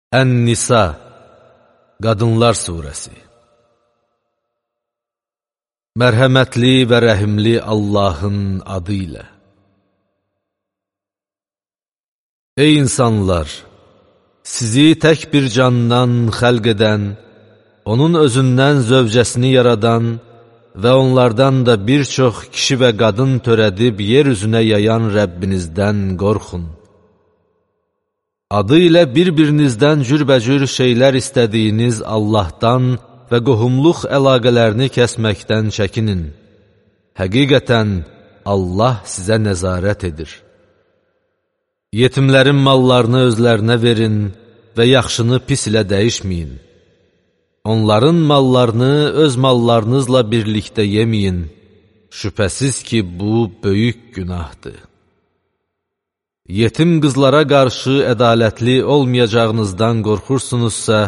Ən-Nisa, Qadınlar Suresi. Mərhəmətli və rəhimli Allahın adı ilə. Ey insanlar! Sizi tək bir candan xəlq edən, onun özündən zövcəsini yaradan və onlardan da bir çox kişi və qadın törədib yer üzünə yayan Rəbbinizdən qorxun. Adı ilə bir-birinizdən cürbəcür şeylər istədiyiniz Allahdan və qohumluq əlaqələrini kəsməkdən çəkinin. Həqiqətən Allah sizə nəzarət edir. Yetimlərin mallarını özlərinə verin və yaxşını pis ilə dəyişməyin. Onların mallarını öz mallarınızla birlikdə yeməyin. Şübhəsiz ki, bu böyük günahdır. Yetim qızlara qarşı ədalətli olmayacağınızdan qorxursunuzsa,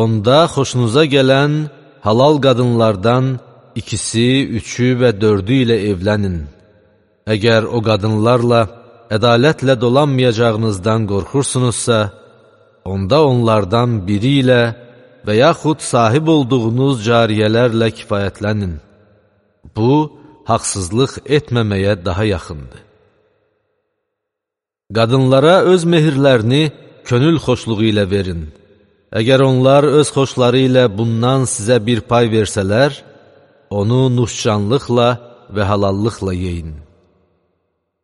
onda xoşunuza gələn halal qadınlardan ikisi, üçü və dördü ilə evlənin. Əgər o qadınlarla ədalətlə dolanmayacağınızdan qorxursunuzsa, onda onlardan biri ilə və yaxud sahib olduğunuz cariyələrlə kifayətlənin. Bu, haqsızlıq etməməyə daha yaxındır. Qadınlara öz mehirlərini könül xoşluğu ilə verin. Əgər onlar öz xoşları ilə bundan sizə bir pay versələr, onu nuşcanlıqla və halallıqla yeyin.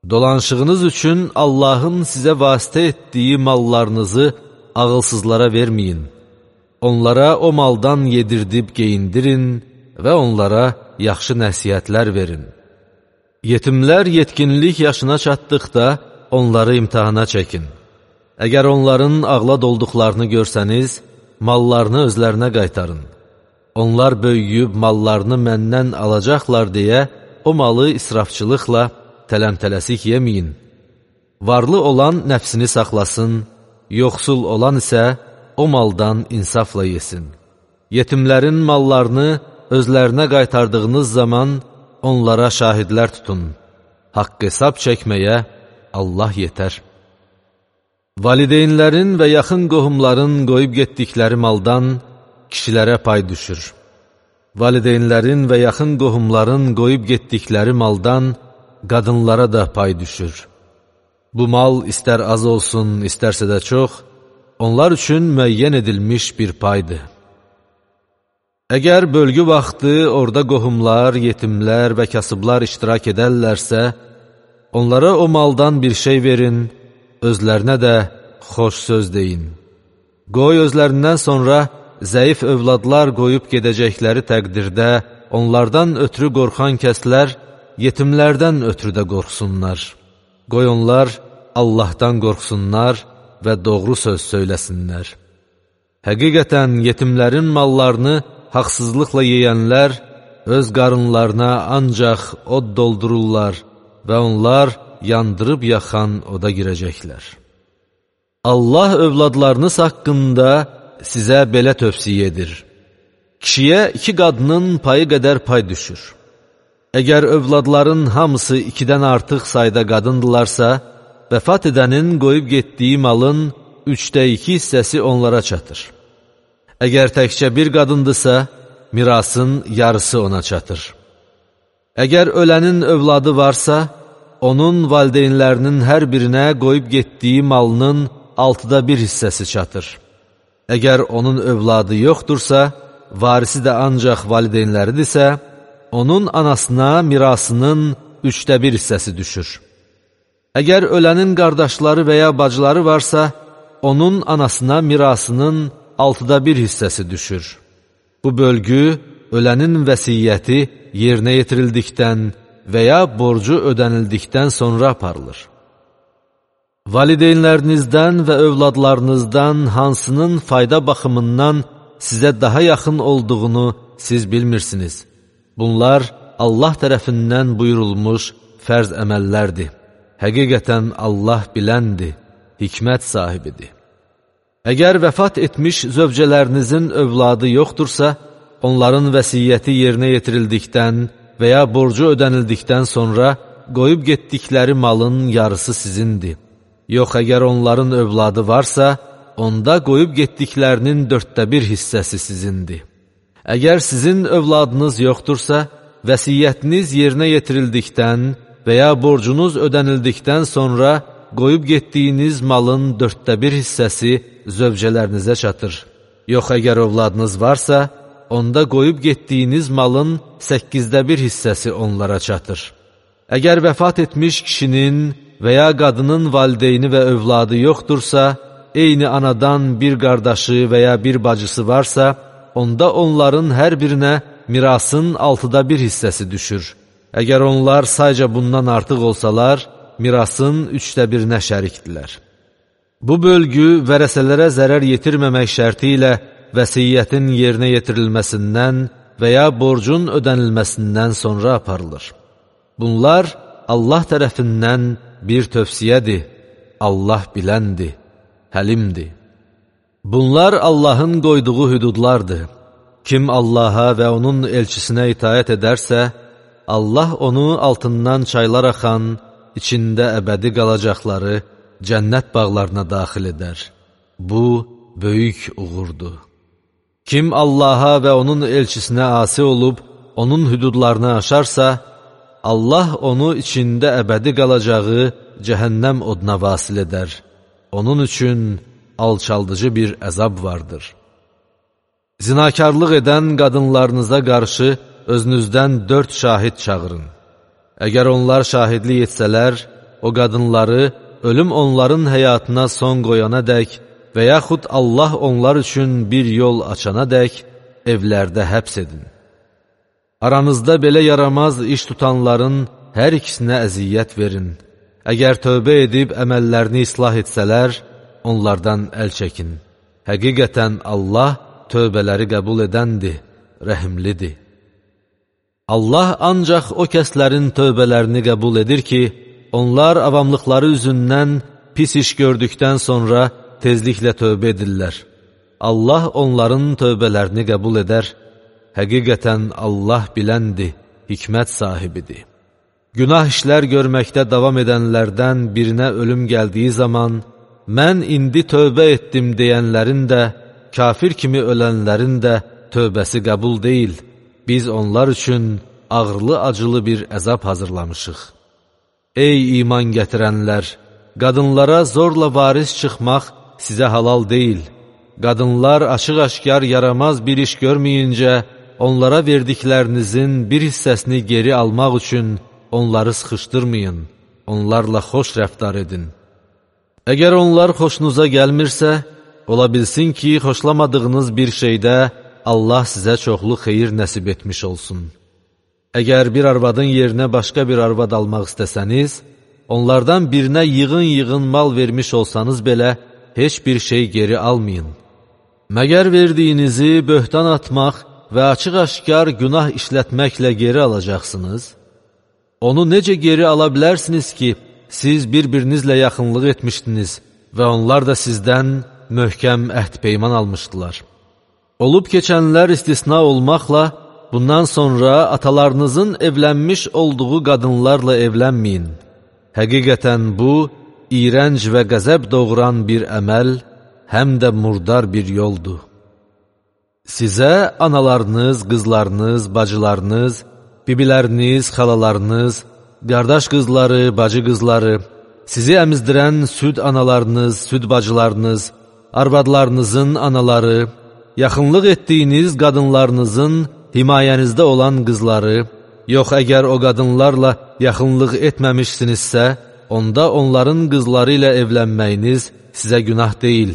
Dolanışığınız üçün Allahın sizə vasitə etdiyi mallarınızı ağılsızlara verməyin. Onlara o maldan yedirdib geyindirin və onlara yaxşı nəsihətlər verin. Yetimlər yetkinlik yaşına çatdıqda onları imtihana çəkin. Əgər onların ağlad olduqlarını görsəniz, mallarını özlərinə qaytarın. Onlar böyüyüb mallarını məndən alacaqlar deyə o malı israfçılıqla tələmtələsik yeməyin. Varlı olan nəfsini saxlasın, yoxsul olan isə o maldan insafla yesin. Yetimlərin mallarını özlərinə qaytardığınız zaman onlara şahidlər tutun. Haqq hesab çəkməyə Allah yetər. Valideynlərin və yaxın qohumların qoyub getdikləri maldan kişilərə pay düşür. Valideynlərin və yaxın qohumların qoyub getdikləri maldan qadınlara da pay düşür. Bu mal istər az olsun, istərsə də çox, onlar üçün müəyyən edilmiş bir paydır. Əgər bölgü vaxtı orada qohumlar, yetimlər və kasıblar iştirak edərlərsə, onlara o maldan bir şey verin, özlərinə də xoş söz deyin. Qoy özlərindən sonra zəif övladlar qoyub gedəcəkləri təqdirdə onlardan ötürü qorxan kəslər yetimlərdən ötürü də qorxsunlar. Qoy onlar Allahdan qorxsunlar və doğru söz söyləsinlər. Həqiqətən yetimlərin mallarını haqsızlıqla yeyənlər öz qarınlarına ancaq od doldururlar və onlar yandırıb yaxan oda girəcəklər. Allah övladlarınız haqqında sizə belə tövsiyə edir. Kişiyə 2 qadının payı qədər pay düşür. Əgər övladların hamısı 2-dən artıq sayda qadındılarsa, vəfat edənin qoyub getdiyi malın 3/2 hissəsi onlara çatır. Əgər təkcə bir qadındısa, mirasın yarısı ona çatır. Əgər ölənin övladı varsa, onun valideynlərinin hər birinə qoyub getdiyi malının 1/6 hissəsi çatır. Əgər onun övladı yoxdursa, varisi də ancaq valideynləridirsə, onun anasına mirasının 1/3 hissəsi düşür. Əgər ölənin qardaşları və ya bacıları varsa, onun anasına mirasının 1/6 hissəsi düşür. Bu bölgü ölənin vəsiyyəti yerinə yetirildikdən və ya borcu ödənildikdən sonra aparılır. Valideynlərinizdən və övladlarınızdan hansının fayda baxımından sizə daha yaxın olduğunu siz bilmirsiniz. Bunlar Allah tərəfindən buyurulmuş fərz əməllərdir. Həqiqətən Allah biləndir, hikmət sahibidir. Əgər vəfat etmiş zövcələrinizin övladı yoxdursa, onların vəsiyyəti yerinə yetirildikdən və ya borcu ödənildikdən sonra qoyub getdikləri malın yarısı sizindir. Yox, əgər onların övladı varsa, onda qoyub getdiklərinin 1/4 hissəsi sizindir. Əgər sizin övladınız yoxdursa, vəsiyyətiniz yerinə yetirildikdən və ya borcunuz ödənildikdən sonra qoyub getdiyiniz malın 1/4 hissəsi zövcələrinizə çatır. Yox, əgər övladınız varsa, onda qoyub getdiyiniz malın 8/1 hissəsi onlara çatır. Əgər vəfat etmiş kişinin və ya qadının valideyni və övladı yoxdursa, eyni anadan bir qardaşı və ya bir bacısı varsa, onda onların hər birinə mirasın 6/1 hissəsi düşür. Əgər onlar sayca bundan artıq olsalar, mirasın 3/1-nə şərikdirlər. Bu bölgü vərəsələrə zərər yetirməmək şərti ilə vəsiyyətin yerinə yetirilməsindən və ya borcun ödənilməsindən sonra aparılır. Bunlar Allah tərəfindən bir tövsiyədir. Allah biləndir, həlimdir. Bunlar Allahın qoyduğu hüdudlardır. Kim Allaha və onun elçisinə itaət edərsə, Allah onu altından çaylar axan, içində əbədi qalacaqları cənnət bağlarına daxil edər. Bu, böyük uğurdur. Kim Allaha və onun elçisinə asi olub, onun hüdudlarını aşarsa, Allah onu içində əbədi qalacağı cəhənnəm oduna vasil edər. Onun üçün alçaldıcı bir əzab vardır. Zinakarlıq edən qadınlarınıza qarşı özünüzdən 4 şahid çağırın. Əgər onlar şahidlik etsələr, o qadınları ölüm onların həyatına son qoyana dək və yaxud Allah onlar üçün bir yol açana dək evlərdə həbs edin. Aranızda belə yaramaz iş tutanların hər ikisinə əziyyət verin. Əgər tövbə edib əməllərini islah etsələr, onlardan əl çəkin. Həqiqətən Allah tövbələri qəbul edəndir, rəhimlidir. Allah ancaq o kəslərin tövbələrini qəbul edir ki, onlar avamlıqları üzündən pis iş gördükdən sonra tezliklə tövbə edirlər. Allah onların tövbələrini qəbul edər. Həqiqətən Allah biləndir, hikmət sahibidir. Günah işlər görməkdə davam edənlərdən birinə ölüm gəldiyi zaman, mən indi tövbə etdim deyənlərin də, kafir kimi ölənlərin də tövbəsi qəbul deyil. Biz onlar üçün ağırlı-acılı bir əzab hazırlamışıq. Ey iman gətirənlər! Qadınlara zorla varis çıxmaq sizə halal deyil. Qadınlar açıq-aşkar yaramaz bir iş görməyincə, onlara verdiklərinizin bir hissəsini geri almaq üçün onları sıxışdırmayın, onlarla xoş rəftar edin. Əgər onlar xoşunuza gəlmirsə, ola bilsin ki, xoşlamadığınız bir şeydə Allah sizə çoxlu xeyir nəsib etmiş olsun. Əgər bir arvadın yerinə başqa bir arvad almaq istəsəniz, onlardan birinə yığın-yığın mal vermiş olsanız belə, heç bir şey geri almayın. Məgər verdiyinizi böhtan atmaq və açıq-aşkar günah işlətməklə geri alacaqsınız? Onu necə geri ala bilərsiniz ki, siz bir-birinizlə yaxınlıq etmişdiniz və onlar da sizdən möhkəm əhd-peyman almışdılar. Olub keçənlər istisna olmaqla, bundan sonra atalarınızın evlənmiş olduğu qadınlarla evlənməyin. Həqiqətən bu, iyrənc və qəzəb doğuran bir əməl, həm də murdar bir yoldur. Sizə analarınız, qızlarınız, bacılarınız, bibiləriniz, xalalarınız, qardaş qızları, bacı qızları, sizi əmizdirən süd analarınız, süd bacılarınız, arvadlarınızın anaları, yaxınlıq etdiyiniz qadınlarınızın himayənizdə olan qızları, yox əgər o qadınlarla yaxınlıq etməmişsinizsə, onda onların qızları ilə evlənməyiniz sizə günah deyil.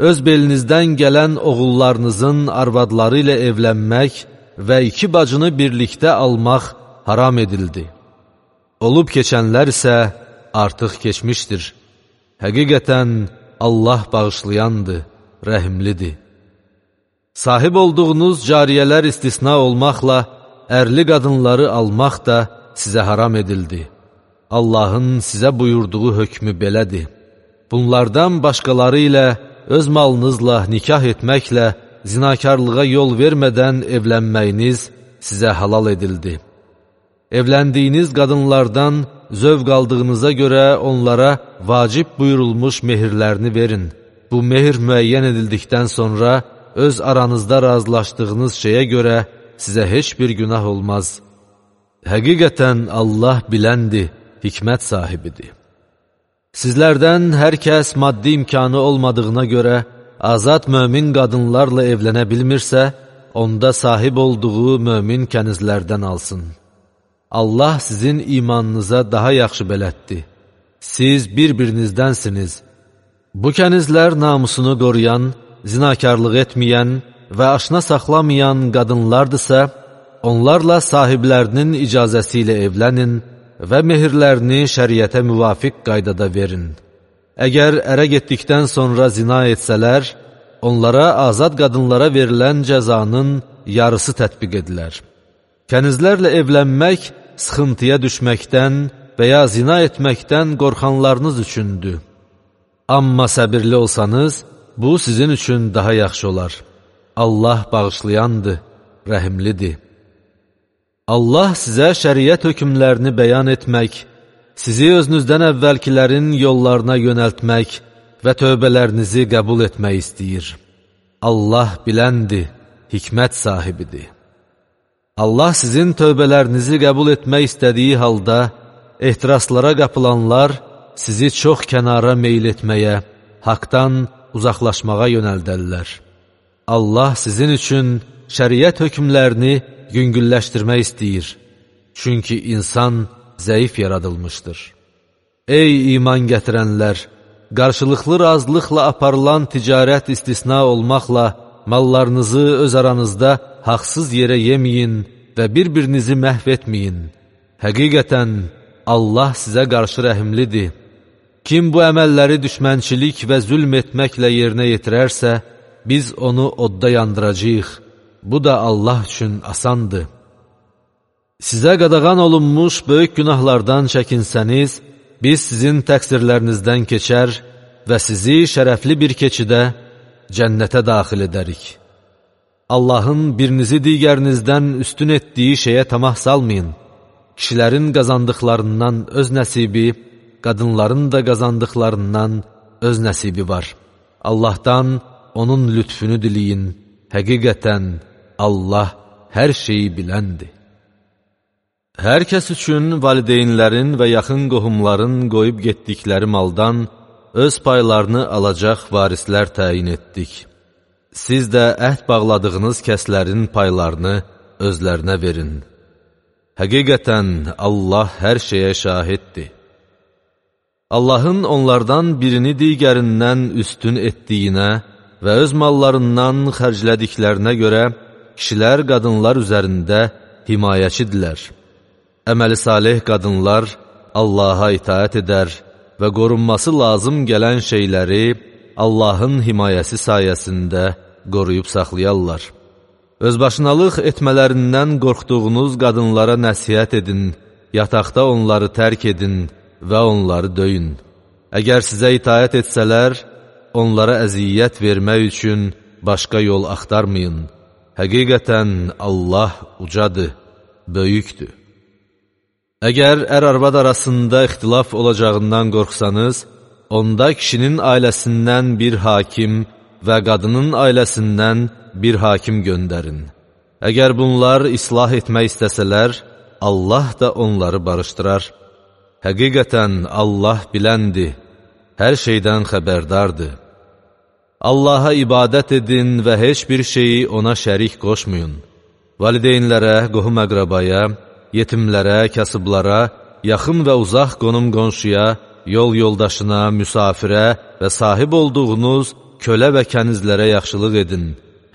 Öz belinizdən gələn oğullarınızın arvadları ilə evlənmək və 2 bacını birlikdə almaq haram edildi. Olub keçənlər isə artıq keçmişdir. Həqiqətən Allah bağışlayandır, rəhimlidir. Sahib olduğunuz cariyələr istisna olmaqla, ərli qadınları almaq da sizə haram edildi. Allahın sizə buyurduğu hökmü belədir. Bunlardan başqaları ilə öz malınızla nikah etməklə zinakarlığa yol vermədən evlənməyiniz sizə halal edildi. Evləndiyiniz qadınlardan zövq aldığınıza görə onlara vacib buyurulmuş mehirlərini verin. bu mehr müəyyən edildikdən sonra öz aranızda razılaşdığınız şeyə görə sizə heç bir günah olmaz. Həqiqətən Allah biləndir, hikmət sahibidir. Sizlərdən hər kəs maddi imkanı olmadığına görə azad mömin qadınlarla evlənə bilmirsə, onda sahib olduğu mömin kənizlərdən alsın. Allah sizin imanınıza daha yaxşı bələddir. Siz bir-birinizdənsiniz. Bu kənizlər namusunu qoruyan, zinakarlıq etməyən və aşna saxlamayan qadınlardırsa, onlarla sahiblərinin icazəsi ilə evlənin və mehirlərini şəriətə müvafiq qaydada verin. Əgər ərə getdikdən sonra zina etsələr, onlara azad qadınlara verilən cəzanın yarısı tətbiq edilər. Kənizlərlə evlənmək sıxıntıya düşməkdən və ya zina etməkdən qorxanlarınız üçündür. Amma səbirli olsanız, bu sizin üçün daha yaxşı olar. Allah bağışlayandır, rəhimlidir. Allah sizə şəriət hökmlərini bəyan etmək, sizi özünüzdən əvvəlkilərin yollarına yönəltmək və tövbələrinizi qəbul etmək istəyir. Allah biləndir, hikmət sahibidir. Allah sizin tövbələrinizi qəbul etmək istədiyi halda, ehtiraslara qapılanlar sizi çox kənara meyl etməyə, haqdan uzaqlaşmağa yönəldərlər. Allah sizin üçün şəriət hökmlərini yüngülləşdirmək istəyir. Çünki insan zəif yaradılmışdır. Ey iman gətirənlər! Qarşılıqlı razılıqla aparılan ticarət istisna olmaqla, mallarınızı öz aranızda haqsız yerə yeməyin və bir-birinizi məhv etməyin. Həqiqətən, Allah sizə qarşı rəhimlidir. Kim bu əməlləri düşmənçilik və zülm etməklə yerinə yetirərsə, biz onu odda yandıracağıq. Bu da Allah üçün asandır. Sizə qadağan olunmuş böyük günahlardan çəkinsəniz, biz sizin təqsirlərinizdən keçər və sizi şərəfli bir keçidə cənnətə daxil edərik. Allahın birinizi digərinizdən üstün etdiyi şeyə tamah salmayın. Kişilərin qazandıqlarından öz nəsibi, qadınların da qazandıqlarından öz nəsibi var. Allahdan onun lütfünü diləyin. Həqiqətən Allah hər şeyi biləndir. Hər kəs üçün valideynlərin və yaxın qohumların qoyub getdikləri maldan öz paylarını alacaq varislər təyin etdik. Siz də əhd bağladığınız kəslərin paylarını özlərinə verin. Həqiqətən Allah hər şeyə şahiddir. Allahın onlardan birini digərindən üstün etdiyinə və öz mallarından xərclədiklərinə görə kişilər qadınlar üzərində himayəçidirlər. Əməli salih qadınlar Allaha itaət edər və qorunması lazım gələn şeyləri Allahın himayəsi sayəsində qoruyub saxlayarlar. Özbaşınalıq etmələrindən qorxduğunuz qadınlara nəsihət edin, yataqda onları tərk edin və onları döyün. Əgər sizə itaət etsələr, onlara əziyyət vermək üçün başqa yol axtarmayın. Həqiqətən Allah ucadır, böyükdür. Əgər ər-arvad arasında ixtilaf olacağından qorxsanız, onda kişinin ailəsindən bir hakim və qadının ailəsindən bir hakim göndərin. Əgər bunlar islah etmək istəsələr, Allah da onları barışdırar. Həqiqətən Allah biləndir, hər şeydən xəbərdardır. Allaha ibadət edin və heç bir şeyi ona şərik qoşmayın. Valideynlərə, qohum-əqrabaya, yetimlərə, kasıblara, yaxın və uzaq qonum-qonşuya, yol yoldaşına, müsafirə və sahib olduğunuz kölə və kənizlərə yaxşılıq edin.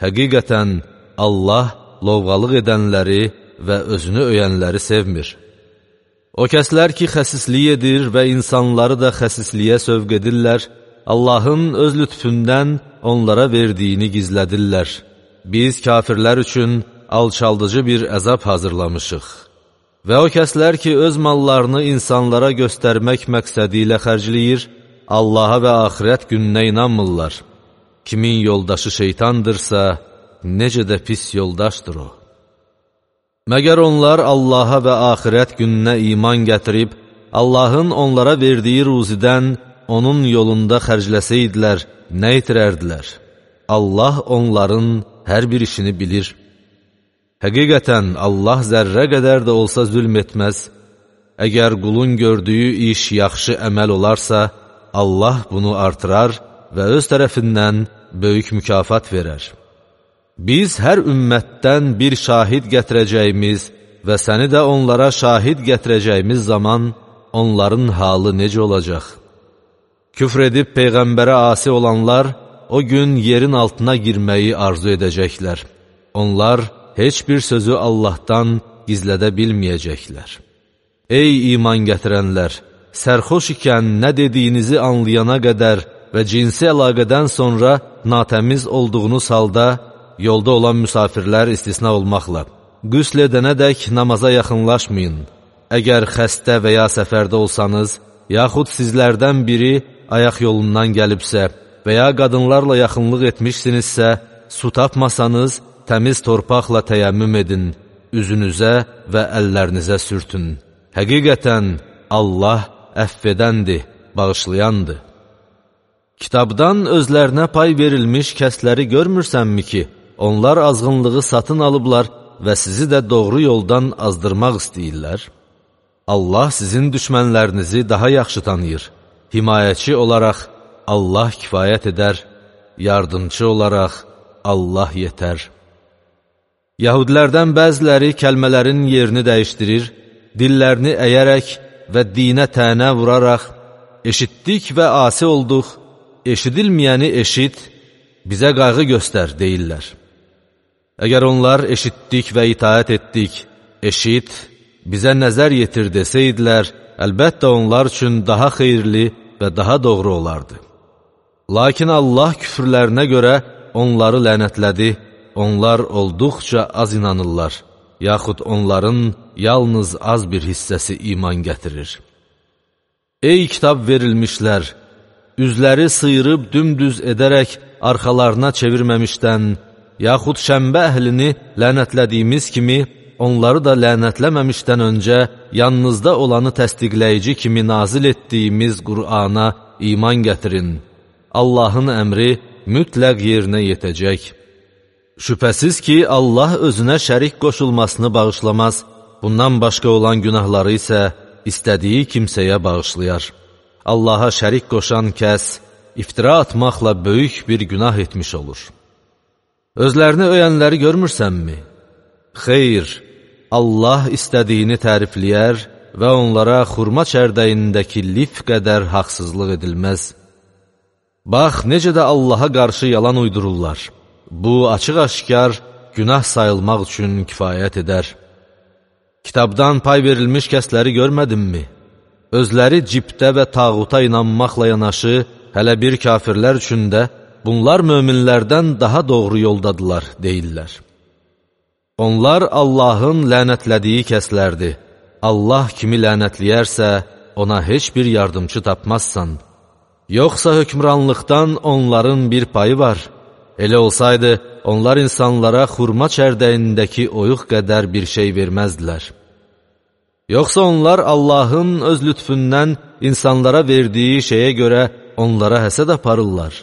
Həqiqətən Allah lovğalıq edənləri və özünü öyənləri sevmir. O kəslər ki, xəsislik edir və insanları da xəsisliyə sövq edirlər, Allahın öz lütfündən onlara verdiyini gizlədirlər. Biz kafirlər üçün alçaldıcı bir əzab hazırlamışıq. Və o kəslər ki, öz mallarını insanlara göstərmək məqsədi ilə xərcləyir, Allaha və axirət gününə inanmırlar. Kimin yoldaşı şeytandırsa, necə də pis yoldaşdır o. Məgər onlar Allaha və axirət gününə iman gətirib, Allahın onlara verdiyi ruzidən onun yolunda xərcləsəydilər, nə itirərdilər? Allah onların hər bir işini bilir. Həqiqətən, Allah zərrə qədər də olsa zülm etməz. Əgər qulun gördüyü iş yaxşı əməl olarsa, Allah bunu artırar və öz tərəfindən böyük mükafat verər. Biz hər ümmətdən bir şahid gətirəcəyimiz və səni də onlara şahid gətirəcəyimiz zaman onların halı necə olacaq? Küfr edib Peyğəmbərə asi olanlar o gün yerin altına girməyi arzu edəcəklər. Onlar heç bir sözü Allahdan gizlədə bilməyəcəklər. Ey iman gətirənlər! Sərxoş ikən nə dediyinizi anlayana qədər və cinsi əlaqədən sonra natəmiz olduğunuz halda, yolda olan müsafirlər istisna olmaqla, qüsl edənədək namaza yaxınlaşmayın. Əgər xəstə və ya səfərdə olsanız, yaxud sizlərdən biri ayaq yolundan gəlibsə və ya qadınlarla yaxınlıq etmişsinizsə, su tapmasanız, təmiz torpaqla təyəmmüm edin, üzünüzə və əllərinizə sürtün. Həqiqətən, Allah əfv edəndir, bağışlayandır. Kitabdan özlərinə pay verilmiş kəsləri görmürsənmi ki, onlar azğınlığı satın alıblar və sizi də doğru yoldan azdırmaq istəyirlər? Allah sizin düşmənlərinizi daha yaxşı tanıyır. Himayəçi olaraq Allah kifayət edər, yardımcı olaraq Allah yetər. Yahudilərdən bəziləri kəlmələrin yerini dəyişdirir, dillərini əyərək və dinə tənə vuraraq, eşitdik və asi olduq, eşidilməyəni eşit, bizə qayğı göstər, deyirlər. Əgər onlar eşitdik və itaət etdik, eşit, bizə nəzər yetir desəydilər, əlbəttə onlar üçün daha xeyirli və daha doğru olardı. Lakin Allah küfürlərinə görə onları lənətlədi, onlar olduqca az inanırlar, yaxud onların yalnız az bir hissəsi iman gətirir. Ey kitab verilmişlər! Üzləri sıyırıb dümdüz edərək arxalarına çevirməmişdən, yaxud şənbə əhlini lənətlədiyimiz kimi, onları da lənətləməmişdən öncə yanınızda olanı təsdiqləyici kimi nazil etdiyimiz Qur'ana iman gətirin. Allahın əmri mütləq yerinə yetəcək. Şübhəsiz ki, Allah özünə şərik qoşulmasını bağışlamaz, bundan başqa olan günahları isə istədiyi kimsəyə bağışlayar. Allaha şərik qoşan kəs iftira atmaqla böyük bir günah etmiş olur. Özlərini öyənləri görmürsənmi? Xeyr, Allah istədiyini tərifləyər və onlara xurma çərdəyindəki lif qədər haqsızlıq edilməz. Bax, necə də Allaha qarşı yalan uydururlar. Bu, açıq-aşkar günah sayılmaq üçün kifayət edər. Kitabdan pay verilmiş kəsləri görmədinmi? Özləri cibdə və tağuta inanmaqla yanaşı, hələ bir kafirlər üçün də bunlar möminlərdən daha doğru yoldadılar, deyirlər. Onlar Allahın lənətlədiyi kəslərdir. Allah kimi lənətləyərsə, ona heç bir yardımcı tapmazsan. Yoxsa hökmranlıqdan onların bir payı var. Elə olsaydı, onlar insanlara xurma çərdəyindəki oyuq qədər bir şey verməzdilər. Yoxsa onlar Allahın öz lütfündən insanlara verdiyi şeyə görə onlara həsəd aparırlar.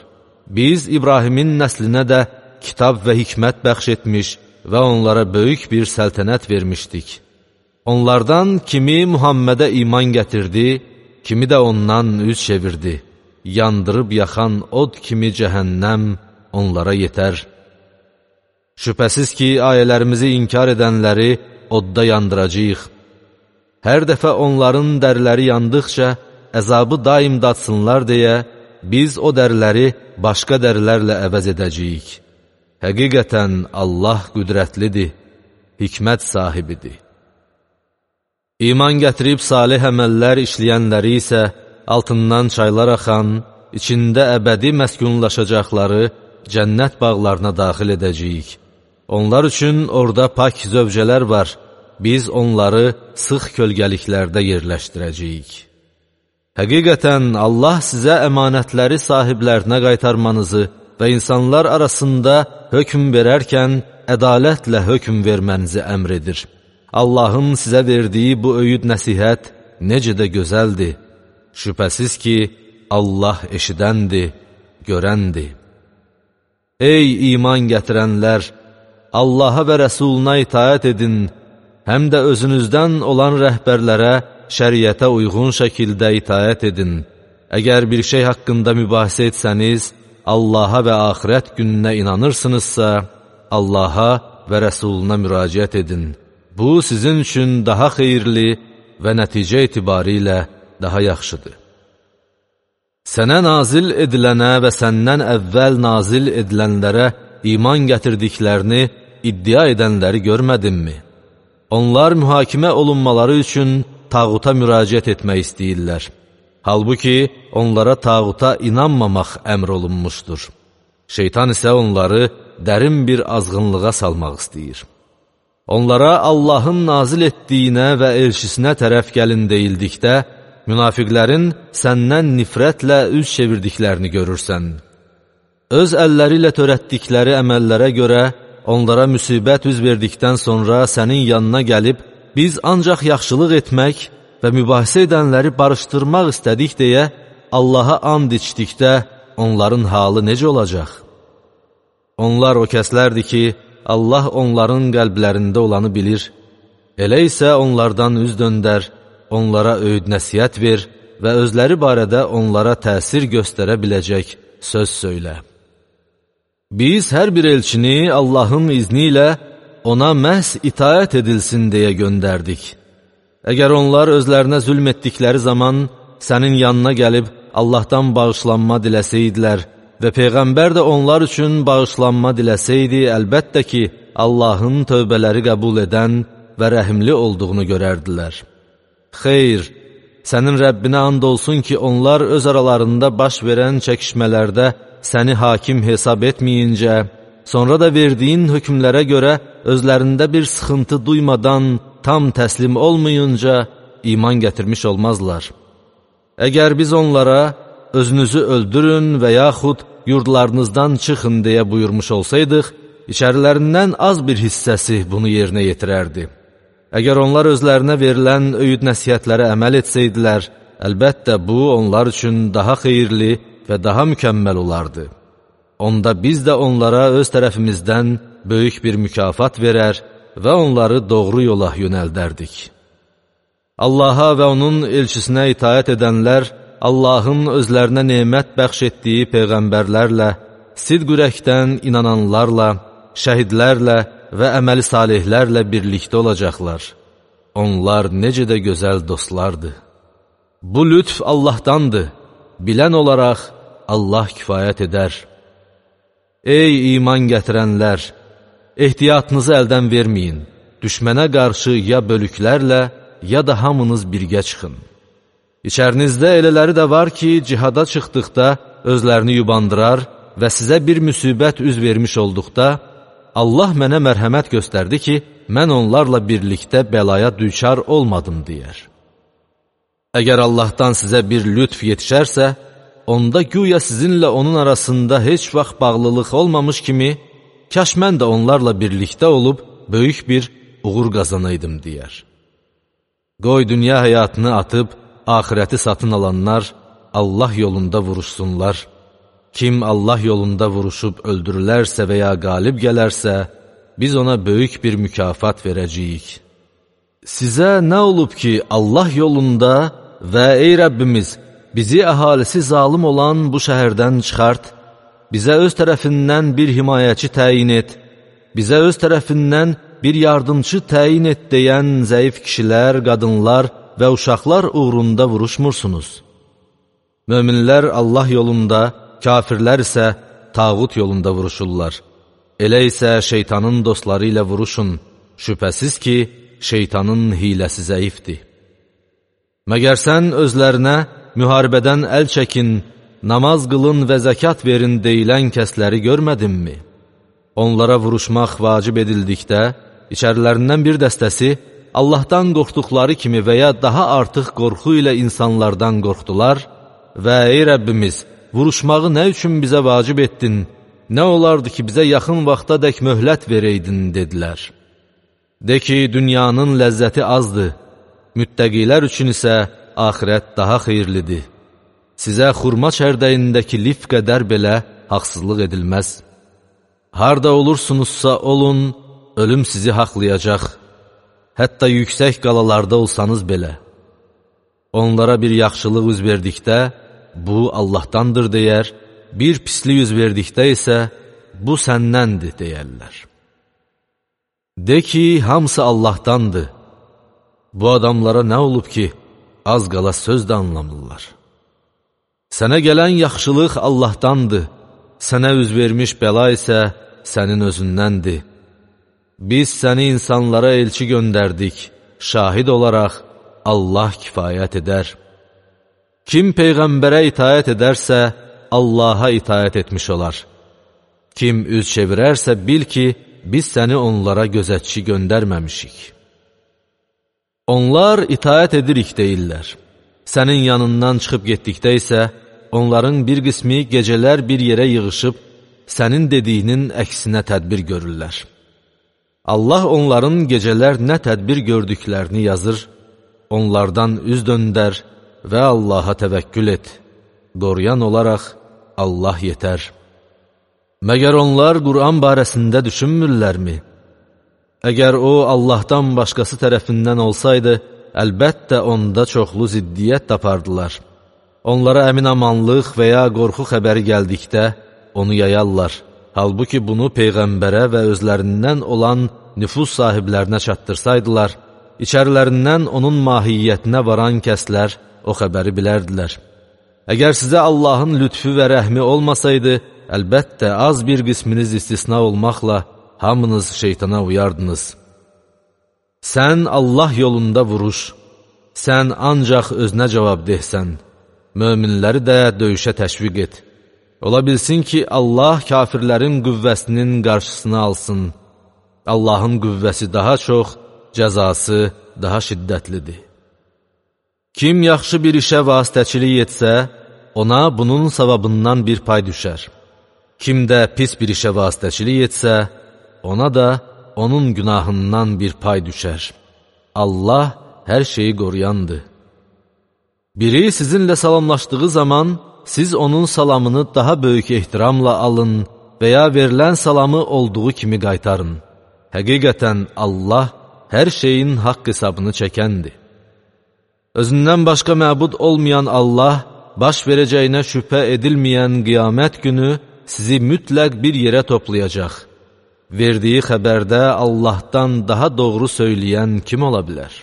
Biz İbrahimin nəslinə də kitab və hikmət bəxş etmiş və onlara böyük bir səltənət vermişdik. Onlardan kimi Muhammədə iman gətirdi, kimi də ondan üz çevirdi. Yandırıb yaxan od kimi cəhənnəm onlara yetər. Şübhəsiz ki, ayələrimizi inkar edənləri odda yandıracağıq. Hər dəfə onların dəriləri yandıqca əzabı daim datsınlar deyə, biz o dəriləri başqa dərilərlə əvəz edəcəyik. Həqiqətən Allah qüdrətlidir, hikmət sahibidir. İman gətirib salih əməllər işləyənləri isə altından çaylar axan, içində əbədi məskunlaşacaqları cənnət bağlarına daxil edəcəyik. Onlar üçün orada pak zövcələr var, biz onları sıx kölgəliklərdə yerləşdirəcəyik. Həqiqətən Allah sizə əmanətləri sahiblərinə qaytarmanızı və insanlar arasında hökm verərkən ədalətlə hökm vermənizi əmr edir. Allahın sizə verdiyi bu öyüd nəsihət necə də gözəldir. Şübhəsiz ki, Allah eşidəndir, görəndir. Ey iman gətirənlər! Allaha və Rəsuluna itaət edin, həm də özünüzdən olan rəhbərlərə şəriətə uyğun şəkildə itaət edin. Əgər bir şey haqqında mübahisə etsəniz, Allaha və axirət gününə inanırsınızsa, Allaha və Rəsuluna müraciət edin. Bu, sizin üçün daha xeyirli və nəticə etibarilə daha yaxşıdır. Sənə nazil edilənə və səndən əvvəl nazil edilənlərə iman gətirdiklərini iddia edənləri görmədinmi? Onlar mühakimə olunmaları üçün tağuta müraciət etmək istəyirlər. Halbuki onlara tağuta inanmamaq əmr olunmuşdur. Şeytan isə onları dərin bir azğınlığa salmaq istəyir. Onlara Allahın nazil etdiyinə və elçisinə tərəf gəlin deyildikdə, münafiqlərin səndən nifrətlə üz çevirdiklərini görürsən. Öz əlləri ilə törətdikləri əməllərə görə onlara müsibət üz verdikdən sonra sənin yanına gəlib, biz ancaq yaxşılıq etmək və mübahisə edənləri barışdırmaq istədik deyə Allaha and içdikdə onların halı necə olacaq? Onlar o kəslərdir ki, Allah onların qəlblərində olanı bilir. Elə isə onlardan üz döndər, onlara öyüd nəsihət ver və özləri barədə onlara təsir göstərə biləcək söz söylə. Biz hər bir elçini Allahın izni ilə ona məhz itaət edilsin deyə göndərdik. Əgər onlar özlərinə zülm etdikləri zaman sənin yanına gəlib Allahdan bağışlanma diləsəydilər və Peyğəmbər də onlar üçün bağışlanma diləsəydi, əlbəttə ki, Allahın tövbələri qəbul edən və rəhimli olduğunu görərdilər. Xeyr, sənin Rəbbinə and olsun ki, onlar öz aralarında baş verən çəkişmələrdə səni hakim hesab etməyincə, sonra da verdiyin hökmlərə görə özlərində bir sıxıntı duymadan, tam təslim olmayınca iman gətirmiş olmazlar. Əgər biz onlara özünüzü öldürün və yaxud yurdlarınızdan çıxın deyə buyurmuş olsaydıq, içərilərindən az bir hissəsi bunu yerinə yetirərdi. Əgər onlar özlərinə verilən öyüd nəsihətlərə əməl etsəydilər, əlbəttə bu onlar üçün daha xeyirli və daha mükəmməl olardı. Onda biz də onlara öz tərəfimizdən böyük bir mükafat verər və onları doğru yola yönəldərdik. Allaha və onun elçisinə itaət edənlər, Allahın özlərinə nemət bəxş etdiyi peyğəmbərlərlə, sidq ürəkdən inananlarla, şəhidlərlə və əməli salihlərlə birlikdə olacaqlar. Onlar necə də gözəl dostlardır. Bu lütf Allahdandır. Bilən olaraq Allah kifayət edər. Ey iman gətirənlər! Ehtiyatınızı əldən verməyin. Düşmənə qarşı ya bölüklərlə, ya da hamınız birgə çıxın. İçərinizdə elələri də var ki, cihada çıxdıqda özlərini yubandırar və sizə bir müsibət üz vermiş olduqda, Allah mənə mərhəmət göstərdi ki, mən onlarla birlikdə bəlaya düçar olmadım deyər. Əgər Allahdan sizə bir lütf yetişərsə, onda güya sizinlə onun arasında heç vaxt bağlılıq olmamış kimi, kaş mən də onlarla birlikdə olub, böyük bir uğur qazanaydım deyər. Qoy dünya həyatını atıb, axirəti satın alanlar Allah yolunda vuruşsunlar. Kim Allah yolunda vuruşub öldürülərsə və ya qalib gələrsə, biz ona böyük bir mükafat verəcəyik. Sizə nə olub ki, Allah yolunda və ey Rəbbimiz, bizi əhalisi zalim olan bu şəhərdən çıxart, bizə öz tərəfindən bir himayəçi təyin et, bizə öz tərəfindən bir yardımcı təyin et deyən zəif kişilər, qadınlar və uşaqlar uğrunda vuruşmursunuz. Möminlər Allah yolunda, kafirlər isə tağut yolunda vuruşurlar. Elə isə şeytanın dostları ilə vuruşun, şübhəsiz ki, şeytanın hiləsi zəifdir. Məgər sən özlərinə müharibədən əl çəkin, namaz qılın və zəkat verin deyilən kəsləri görmədinmi? Onlara vuruşmaq vacib edildikdə, içərilərindən bir dəstəsi Allahdan qorxduqları kimi və ya daha artıq qorxu ilə insanlardan qorxdular və ey Rəbbimiz, vuruşmağı nə üçün bizə vacib etdin, nə olardı ki, bizə yaxın vaxta dək möhlət verəydin, dedilər. De ki, dünyanın ləzzəti azdır, müttəqilər üçün isə axirət daha xeyirlidir. Sizə xurma çərdəyindəki lif qədər belə haqsızlıq edilməz. Harda olursunuzsa olun, ölüm sizi haqlayacaq. Hətta yüksək qalalarda olsanız belə. Onlara bir yaxşılıq üz verdikdə, bu Allahdandır deyər, bir pislik üz verdikdə isə, bu səndəndir deyərlər. De ki, hamısı Allahdandır. Bu adamlara nə olub ki, az qala söz də anlamırlar. Sənə gələn yaxşılıq Allahdandır, sənə üz vermiş bəla isə sənin özündəndir. Biz səni insanlara elçi göndərdik, şahid olaraq Allah kifayət edər. Kim Peyğəmbərə itaət edərsə, Allaha itaət etmiş olar. Kim üz çevirərsə, bil ki, biz səni onlara gözətçi göndərməmişik. Onlar itaət edirik deyirlər. Sənin yanından çıxıb getdikdə isə, onların bir qismi gecələr bir yerə yığışıb, sənin dediyinin əksinə tədbir görürlər. Allah onların gecələr nə tədbir gördüklərini yazır, onlardan üz döndər və Allaha təvəkkül et. Qoruyan olaraq Allah yetər. Məgər onlar Qur'an barəsində düşünmürlərmi? Əgər o, Allahdan başqası tərəfindən olsaydı, əlbəttə onda çoxlu ziddiyyət tapardılar. Onlara əmin-amanlıq və ya qorxu xəbəri gəldikdə, onu yayarlar. Halbuki bunu Peyğəmbərə və özlərindən olan nüfuz sahiblərinə çatdırsaydılar, içərilərindən onun mahiyyətinə varan kəslər o xəbəri bilərdilər. Əgər sizə Allahın lütfü və rəhmi olmasaydı, əlbəttə az bir qisminiz istisna olmaqla hamınız şeytana uyardınız. Sən Allah yolunda vuruş, sən ancaq özünə cavab dehsən, möminləri də döyüşə təşviq et. Ola bilsin ki, Allah kafirlərin qüvvəsinin qarşısını alsın. Allahın qüvvəsi daha çox, cəzası daha şiddətlidir. Kim yaxşı bir işə vasitəçilik etsə, ona bunun savabından bir pay düşər. Kim də pis bir işə vasitəçilik etsə, ona da onun günahından bir pay düşər. Allah hər şeyi qoruyandır. Biri sizinlə salamlaşdığı zaman, siz onun salamını daha böyük ehtiramla alın və ya verilən salamı olduğu kimi qaytarın. Həqiqətən Allah hər şeyin haqq hesabını çəkəndir. Özündən başqa məbud olmayan Allah, baş verəcəyinə şübhə edilməyən qiyamət günü sizi mütləq bir yerə toplayacaq. Verdiyi xəbərdə Allahdan daha doğru söyləyən kim ola bilər?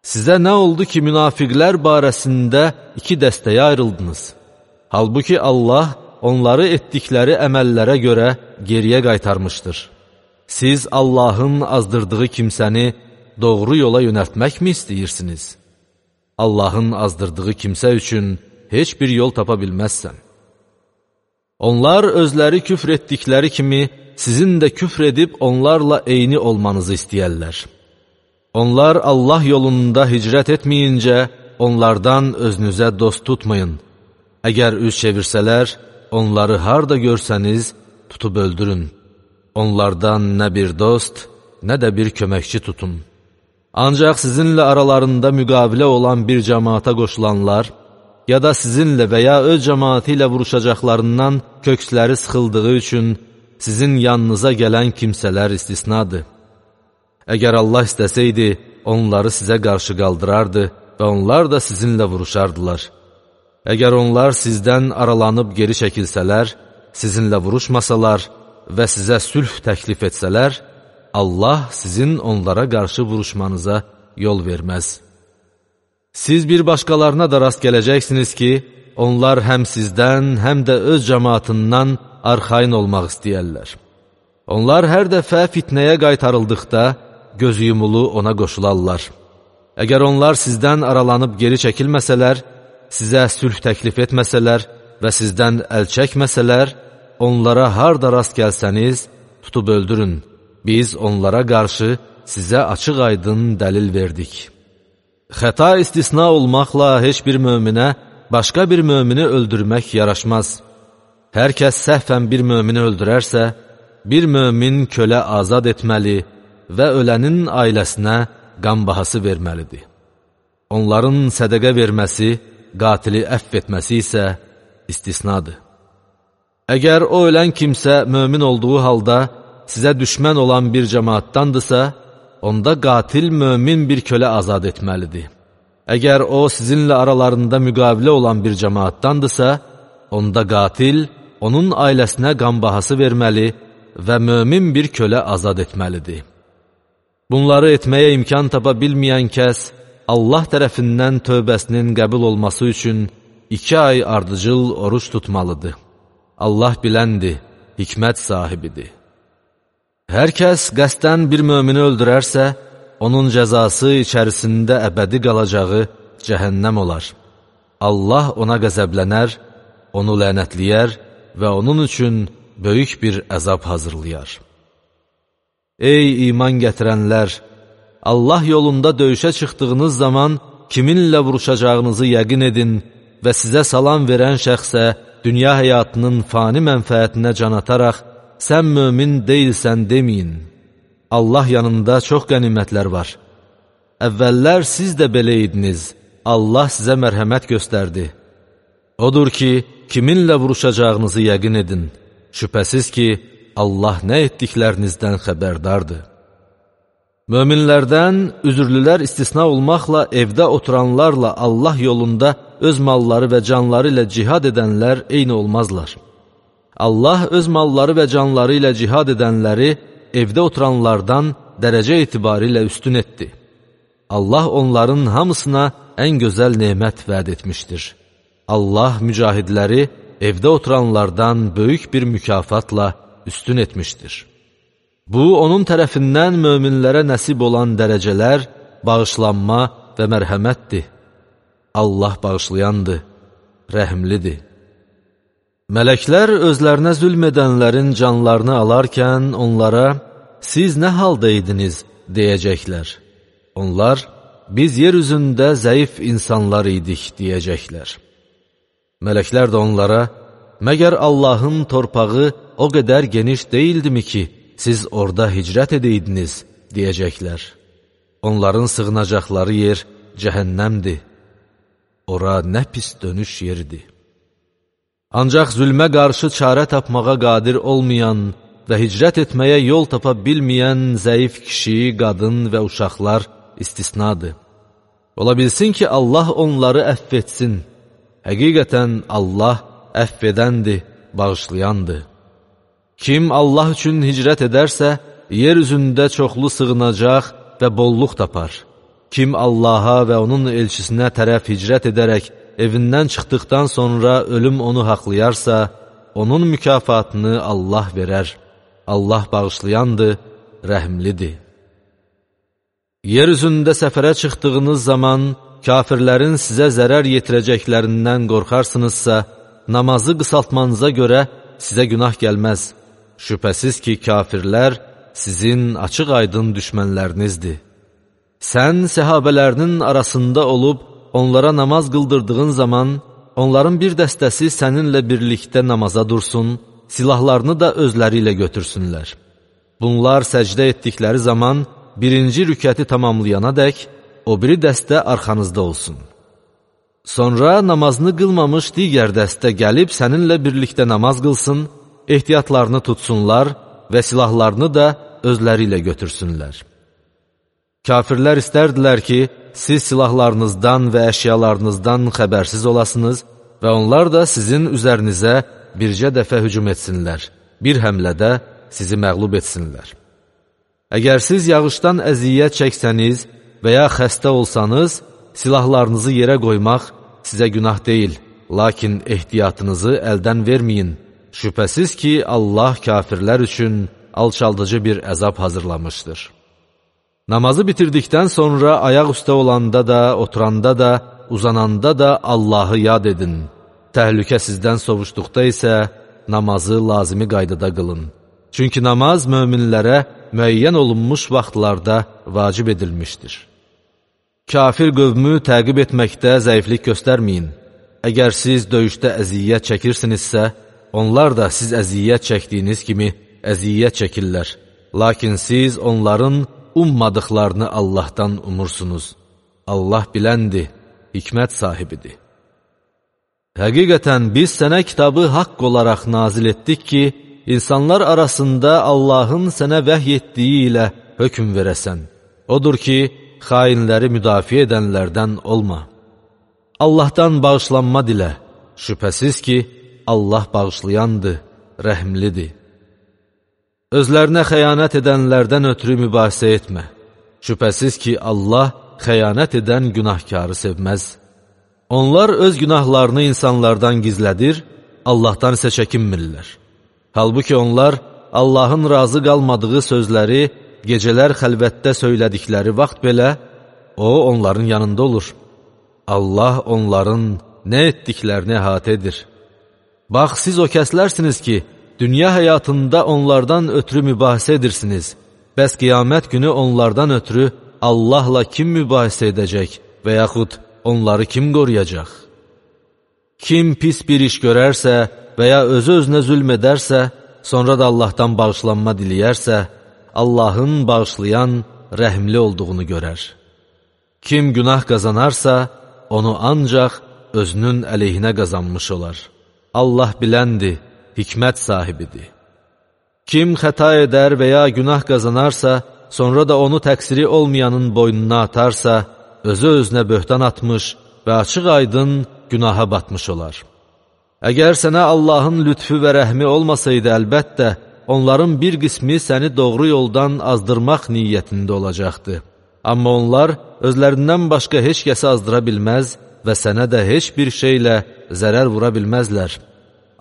Sizə nə oldu ki, münafiqlər barəsində iki dəstəyə ayrıldınız? Halbuki Allah onları etdikləri əməllərə görə geriyə qaytarmışdır. Siz Allahın azdırdığı kimsəni doğru yola yönəltməkmi istəyirsiniz? Allahın azdırdığı kimsə üçün heç bir yol tapa bilməzsən. Onlar özləri küfr etdikləri kimi, sizin də küfr edib onlarla eyni olmanızı istəyərlər. Onlar Allah yolunda hicrət etməyincə, onlardan özünüzə dost tutmayın. Əgər üz çevirsələr, onları harda görsəniz, tutub öldürün. Onlardan nə bir dost, nə də bir köməkçi tutun. Ancaq sizinlə aralarında müqavilə olan bir cəmaata qoşulanlar, ya da sizinlə və ya öz cəmaatı ilə vuruşacaqlarından köksləri sıxıldığı üçün sizin yanınıza gələn kimsələr istisnadır. Əgər Allah istəsəydi, onları sizə qarşı qaldırardı və onlar da sizinlə vuruşardılar. Əgər onlar sizdən aralanıb geri çəkilsələr, sizinlə vuruşmasalar və sizə sülh təklif etsələr, Allah sizin onlara qarşı vuruşmanıza yol verməz. Siz bir başqalarına da rast gələcəksiniz ki, onlar həm sizdən, həm də öz cəmaatından arxayın olmaq istəyərlər. Onlar hər dəfə fitnəyə qaytarıldıqda, gözü yumulu ona qoşularlar. Əgər onlar sizdən aralanıb geri çəkilməsələr, sizə sülh təklif etməsələr və sizdən əl çəkməsələr, onlara harda rast gəlsəniz, tutub öldürün. Biz onlara qarşı sizə açıq-aydın dəlil verdik. Xəta istisna olmaqla heç bir möminə başqa bir mömini öldürmək yaraşmaz. Hər kəs səhvən bir mömini öldürərsə, bir mömin kölə azad etməli və ölənin ailəsinə qan bahası verməlidir. Onların sədəqə verməsi qatili əfv etməsi isə istisnadır. Əgər o ölən kimsə mömin olduğu halda sizə düşmən olan bir cəmaatdandırsa, onda qatil mömin bir kölə azad etməlidir. Əgər o sizinlə aralarında müqavilə olan bir cəmaatdandırsa, onda qatil onun ailəsinə qan bahası verməli və mömin bir kölə azad etməlidir. Bunları etməyə imkan tapa bilməyən kəs, Allah tərəfindən tövbəsinin qəbul olması üçün 2 ay ardıcıl oruç tutmalıdır. Allah biləndir, hikmət sahibidir. Hər kəs qəsdən bir mömini öldürərsə, onun cəzası içərisində əbədi qalacağı cəhənnəm olar. Allah ona qəzəblənər, onu lənətləyər və onun üçün böyük bir əzab hazırlayar. Ey iman gətirənlər! Allah yolunda döyüşə çıxdığınız zaman kiminlə vuruşacağınızı yəqin edin və sizə salam verən şəxsə dünya həyatının fani mənfəətinə can ataraq, sən mömin deyilsən deməyin. Allah yanında çox qənimətlər var. Əvvəllər siz də belə idiniz, Allah sizə mərhəmət göstərdi. Odur ki, kiminlə vuruşacağınızı yəqin edin. Şübhəsiz ki, Allah nə etdiklərinizdən xəbərdardır. Möminlərdən üzürlülər istisna olmaqla evdə oturanlarla Allah yolunda öz malları və canları ilə cihad edənlər eyni olmazlar. Allah öz malları və canları ilə cihad edənləri evdə oturanlardan dərəcə etibarı ilə üstün etdi. Allah onların hamısına ən gözəl nemət vəd etmişdir. Allah mücahidləri evdə oturanlardan böyük bir mükafatla üstün etmişdir. Bu, onun tərəfindən möminlərə nəsib olan dərəcələr, bağışlanma və mərhəmətdir. Allah bağışlayandır, rəhimlidir. Mələklər özlərinə zülm edənlərin canlarını alarkən onlara, siz nə halda idiniz, deyəcəklər. Onlar, biz yer üzündə zəif insanlar idik, deyəcəklər. Mələklər də onlara, məgər Allahın torpağı o qədər geniş deyildimi ki, siz orada hicrət edeydiniz, deyəcəklər. Onların sığınacaqları yer cəhənnəmdir. Ora nə pis dönüş yeridir. Ancaq zülmə qarşı çarə tapmağa qadir olmayan və hicrət etməyə yol tapa bilməyən zəif kişi, qadın və uşaqlar istisnadır. Ola bilsin ki, Allah onları əfv etsin. Həqiqətən Allah əfv edəndir, bağışlayandır. Kim Allah üçün hicrət edərsə, yer üzündə çoxlu sığınacaq və bolluq tapar. Kim Allaha və onun elçisinə tərəf hicrət edərək evindən çıxdıqdan sonra ölüm onu haqlayarsa, onun mükafatını Allah verər. Allah bağışlayandır, rəhimlidir. Yer üzündə səfərə çıxdığınız zaman kafirlərin sizə zərər yetirəcəklərindən qorxarsınızsa, namazı qısaltmanıza görə sizə günah gəlməz. Şübhəsiz ki, kafirlər sizin açıq-aydın düşmənlərinizdir. Sən səhabələrinin arasında olub, onlara namaz qıldırdığın zaman, onların bir dəstəsi səninlə birlikdə namaza dursun, silahlarını da özləri ilə götürsünlər. Bunlar səcdə etdikləri zaman, birinci rükəti tamamlayana dək, o biri dəstə arxanızda olsun. Sonra namazını qılmamış digər dəstə gəlib səninlə birlikdə namaz qılsın, ehtiyatlarını tutsunlar və silahlarını da özləri ilə götürsünlər. Kafirlər istərdilər ki, siz silahlarınızdan və əşyalarınızdan xəbərsiz olasınız və onlar da sizin üzərinizə bircə dəfə hücum etsinlər, bir həmlədə sizi məğlub etsinlər. Əgər siz yağışdan əziyyət çəksəniz və ya xəstə olsanız, silahlarınızı yerə qoymaq sizə günah deyil, lakin ehtiyatınızı əldən verməyin. Şübhəsiz ki, Allah kafirlər üçün alçaldıcı bir əzab hazırlamışdır. Namazı bitirdikdən sonra ayaq üstə olanda da, oturanda da, uzananda da Allahı yad edin. Təhlükə sizdən sovuşduqda isə namazı lazımi qaydada qılın. Çünki namaz möminlərə müəyyən olunmuş vaxtlarda vacib edilmişdir. Kafir qövmü təqib etməkdə zəiflik göstərməyin. Əgər siz döyüşdə əziyyət çəkirsinizsə, onlar da siz əziyyət çəkdiyiniz kimi əziyyət çəkirlər. Lakin siz onların ummadıqlarını Allahdan umursunuz. Allah biləndir, hikmət sahibidir. Həqiqətən biz sənə kitabı haqq olaraq nazil etdik ki, insanlar arasında Allahın sənə vəhy etdiyi ilə hökm verəsən. Odur ki, xainləri müdafiə edənlərdən olma. Allahdan bağışlanma dilə. Şübhəsiz ki, Allah bağışlayandır, rəhmlidir. Özlərinə xəyanət edənlərdən ötürü mübahisə etmə. Şübhəsiz ki, Allah xəyanət edən günahkarı sevməz. Onlar öz günahlarını insanlardan gizlədir, Allahdan isə çəkinmirlər. Halbuki onlar Allahın razı qalmadığı sözləri gecələr xəlvətdə söylədikləri vaxt belə, O onların yanında olur. Allah onların nə etdiklərini əhatə edir. Bax, siz o kəslərsiniz ki, dünya həyatında onlardan ötürü mübahisə edirsiniz. Bəs qiyamət günü onlardan ötürü Allahla kim mübahisə edəcək və yaxud onları kim qoruyacaq? Kim pis bir iş görərsə və ya özü-özünə zülm edərsə, sonra da Allahdan bağışlanma diləyərsə, Allahın bağışlayan, rəhmli olduğunu görər. Kim günah qazanarsa, onu ancaq özünün əleyhinə qazanmış olar. Allah biləndir, hikmət sahibidir. Kim xəta edər və ya günah qazanarsa, sonra da onu təqsiri olmayanın boynuna atarsa, özü-özünə böhtan atmış və açıq-aydın günaha batmış olar. Əgər sənə Allahın lütfü və rəhmi olmasaydı, əlbəttə, onların bir qismi səni doğru yoldan azdırmaq niyyətində olacaqdı. Amma onlar özlərindən başqa heç kəsi azdıra bilməz və sənə də heç bir şeylə zərər vura bilməzlər.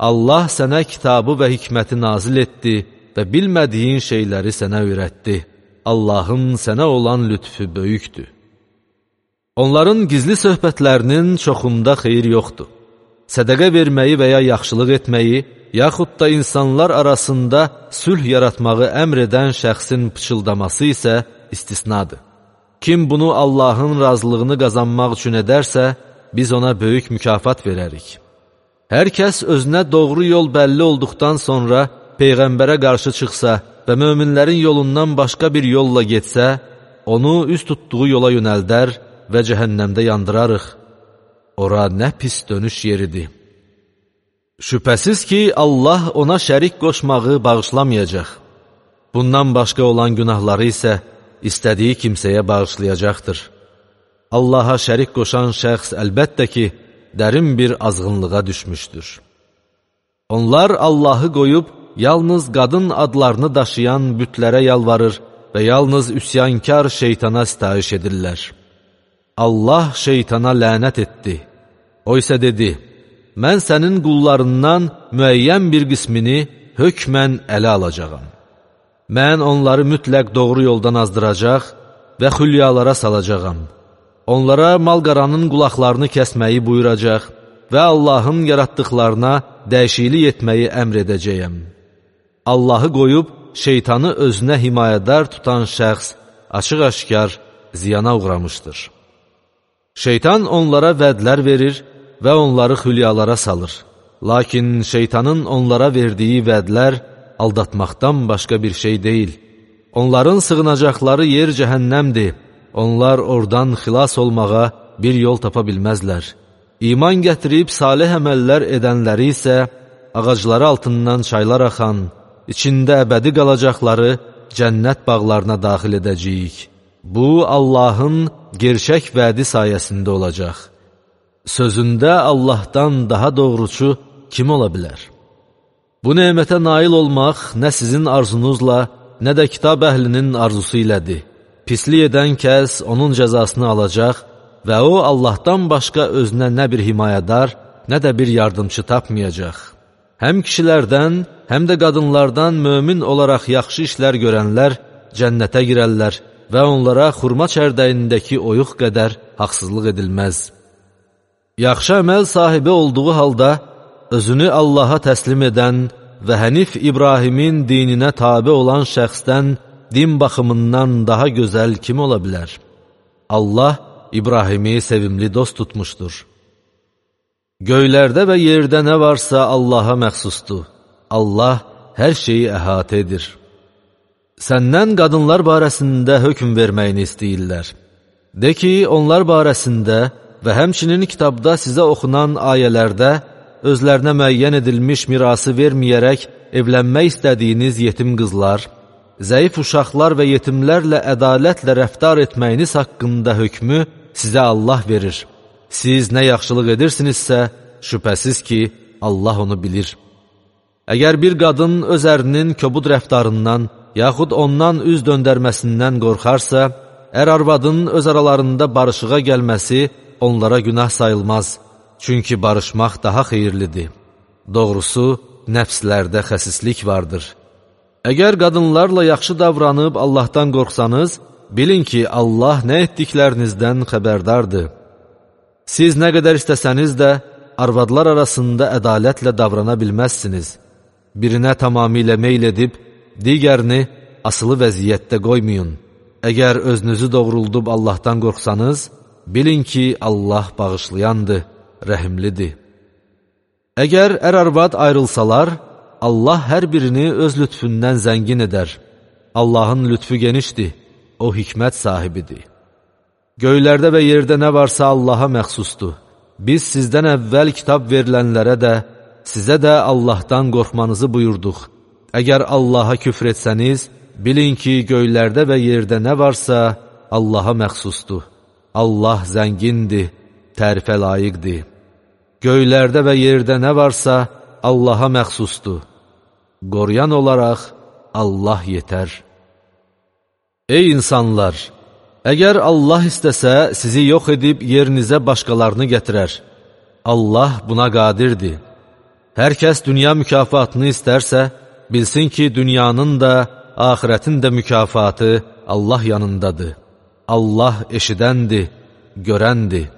Allah sənə kitabı və hikməti nazil etdi və bilmədiyin şeyləri sənə öyrətdi. Allahın sənə olan lütfü böyükdür. Onların gizli söhbətlərinin çoxunda xeyir yoxdur. Sədəqə verməyi və ya yaxşılıq etməyi, yaxud da insanlar arasında sülh yaratmağı əmr edən şəxsin pıçıldaması isə istisnadır. Kim bunu Allahın razılığını qazanmaq üçün edərsə, biz ona böyük mükafat verərik. Hər kəs özünə doğru yol bəlli olduqdan sonra Peyğəmbərə qarşı çıxsa və möminlərin yolundan başqa bir yolla getsə, onu üst tutduğu yola yönəldər və cəhənnəmdə yandırarıq. Ora nə pis dönüş yeridir. Şübhəsiz ki, Allah ona şərik qoşmağı bağışlamayacaq. Bundan başqa olan günahları isə istədiyi kimsəyə bağışlayacaqdır. Allaha şərik qoşan şəxs əlbəttə ki, dərin bir azğınlığa düşmüşdür. Onlar Allahı qoyub, yalnız qadın adlarını daşıyan bütlərə yalvarır və yalnız üsyankar şeytana sitayiş edirlər. Allah şeytana lənət etdi. O isə dedi, mən sənin qullarından müəyyən bir qismini hökmən ələ alacağam. Mən onları mütləq doğru yoldan azdıracaq və xülyalara salacağam. Onlara mal-qaranın qulaqlarını kəsməyi buyuracaq və Allahın yaratdıqlarına dəyişiklik etməyi əmr edəcəyəm. Allahı qoyub, şeytanı özünə himayədar tutan şəxs açıq-aşkar ziyana uğramışdır. Şeytan onlara vədlər verir və onları xülyalara salır. Lakin şeytanın onlara verdiyi vədlər aldatmaqdan başqa bir şey deyil. Onların sığınacaqları yer cəhənnəmdir. Onlar oradan xilas olmağa bir yol tapa bilməzlər. İman gətirib salih əməllər edənləri isə ağacları altından çaylar axan, içində əbədi qalacaqları cənnət bağlarına daxil edəcəyik. Bu, Allahın gerçək vədi sayəsində olacaq. Sözündə Allahdan daha doğrucu kim ola bilər? Bu nemətə nail olmaq nə sizin arzunuzla, nə də kitab əhlinin arzusu ilədir. Pislik edən kəs onun cəzasını alacaq və o, Allahdan başqa özünə nə bir himayədar, nə də bir yardımcı tapmayacaq. Həm kişilərdən, həm də qadınlardan mömin olaraq yaxşı işlər görənlər cənnətə girərlər və onlara xurma çərdəyindəki oyuq qədər haqsızlıq edilməz. Yaxşı əməl sahibi olduğu halda, özünü Allaha təslim edən və Hənif İbrahimin dininə tabi olan şəxsdən din baxımından daha gözəl kim ola bilər? Allah İbrahimi sevimli dost tutmuşdur. Göylərdə və yerdə nə varsa Allaha məxsusdur. Allah hər şeyi əhatə edir. Səndən qadınlar barəsində hökm verməyini istəyirlər. De ki, onlar barəsində və həmçinin kitabda sizə oxunan ayələrdə özlərinə müəyyən edilmiş mirası verməyərək evlənmək istədiyiniz yetim qızlar, zəif uşaqlar və yetimlərlə ədalətlə rəftar etməyiniz haqqında hökmü sizə Allah verir. Siz nə yaxşılıq edirsinizsə, şübhəsiz ki, Allah onu bilir. Əgər bir qadın öz ərinin kobud rəftarından, yaxud ondan üz döndərməsindən qorxarsa, ər-arvadın öz aralarında barışığa gəlməsi onlara günah sayılmaz. Çünki barışmaq daha xeyirlidir. Doğrusu, nəfslərdə xəsislik vardır. Əgər qadınlarla yaxşı davranıb Allahdan qorxsanız, bilin ki, Allah nə etdiklərinizdən xəbərdardır. Siz nə qədər istəsəniz də, arvadlar arasında ədalətlə davrana bilməzsiniz. Birinə tamamilə meyl edib, digərini asılı vəziyyətdə qoymayın. Əgər özünüzü doğruldub Allahdan qorxsanız, bilin ki, Allah bağışlayandır, rəhimlidir. Əgər ər-arvad ayrılsalar, Allah hər birini öz lütfündən zəngin edər. Allahın lütfü genişdir, o hikmət sahibidir. Göylərdə və yerdə nə varsa Allaha məxsusdur. Biz sizdən əvvəl kitab verilənlərə də, sizə də Allahdan qorxmanızı buyurduq. Əgər Allaha küfr etsəniz, bilin ki, göylərdə və yerdə nə varsa Allaha məxsusdur. Allah zəngindir, tərifə layiqdir. Göylərdə və yerdə nə varsa Allaha məxsusdur. Qoruyan olaraq Allah yetər. Ey insanlar! Əgər Allah istəsə, sizi yox edib yerinizə başqalarını gətirər. Allah buna qadirdir. Hər kəs dünya mükafatını istərsə, bilsin ki, dünyanın da, axirətin də mükafatı Allah yanındadır. Allah eşidəndir, görəndir.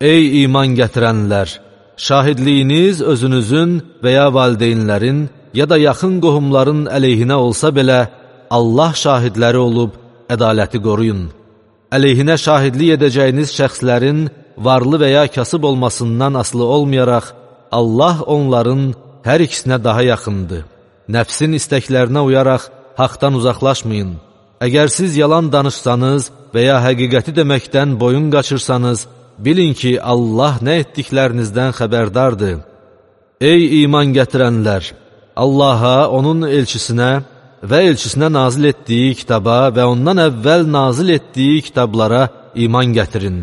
Ey iman gətirənlər! Şahidliyiniz özünüzün və ya valideynlərin, ya da yaxın qohumların əleyhinə olsa belə, Allah şahidləri olub, ədaləti qoruyun. Əleyhinə şahidlik edəcəyiniz şəxslərin varlı və ya kasıb olmasından asılı olmayaraq, Allah onların hər ikisinə daha yaxındır. Nəfsin istəklərinə uyaraq haqdan uzaqlaşmayın. Əgər siz yalan danışsanız və ya həqiqəti deməkdən boyun qaçırsanız, bilin ki, Allah nə etdiklərinizdən xəbərdardır. Ey iman gətirənlər! Allaha, onun elçisinə və elçisinə nazil etdiyi kitaba və ondan əvvəl nazil etdiyi kitablara iman gətirin.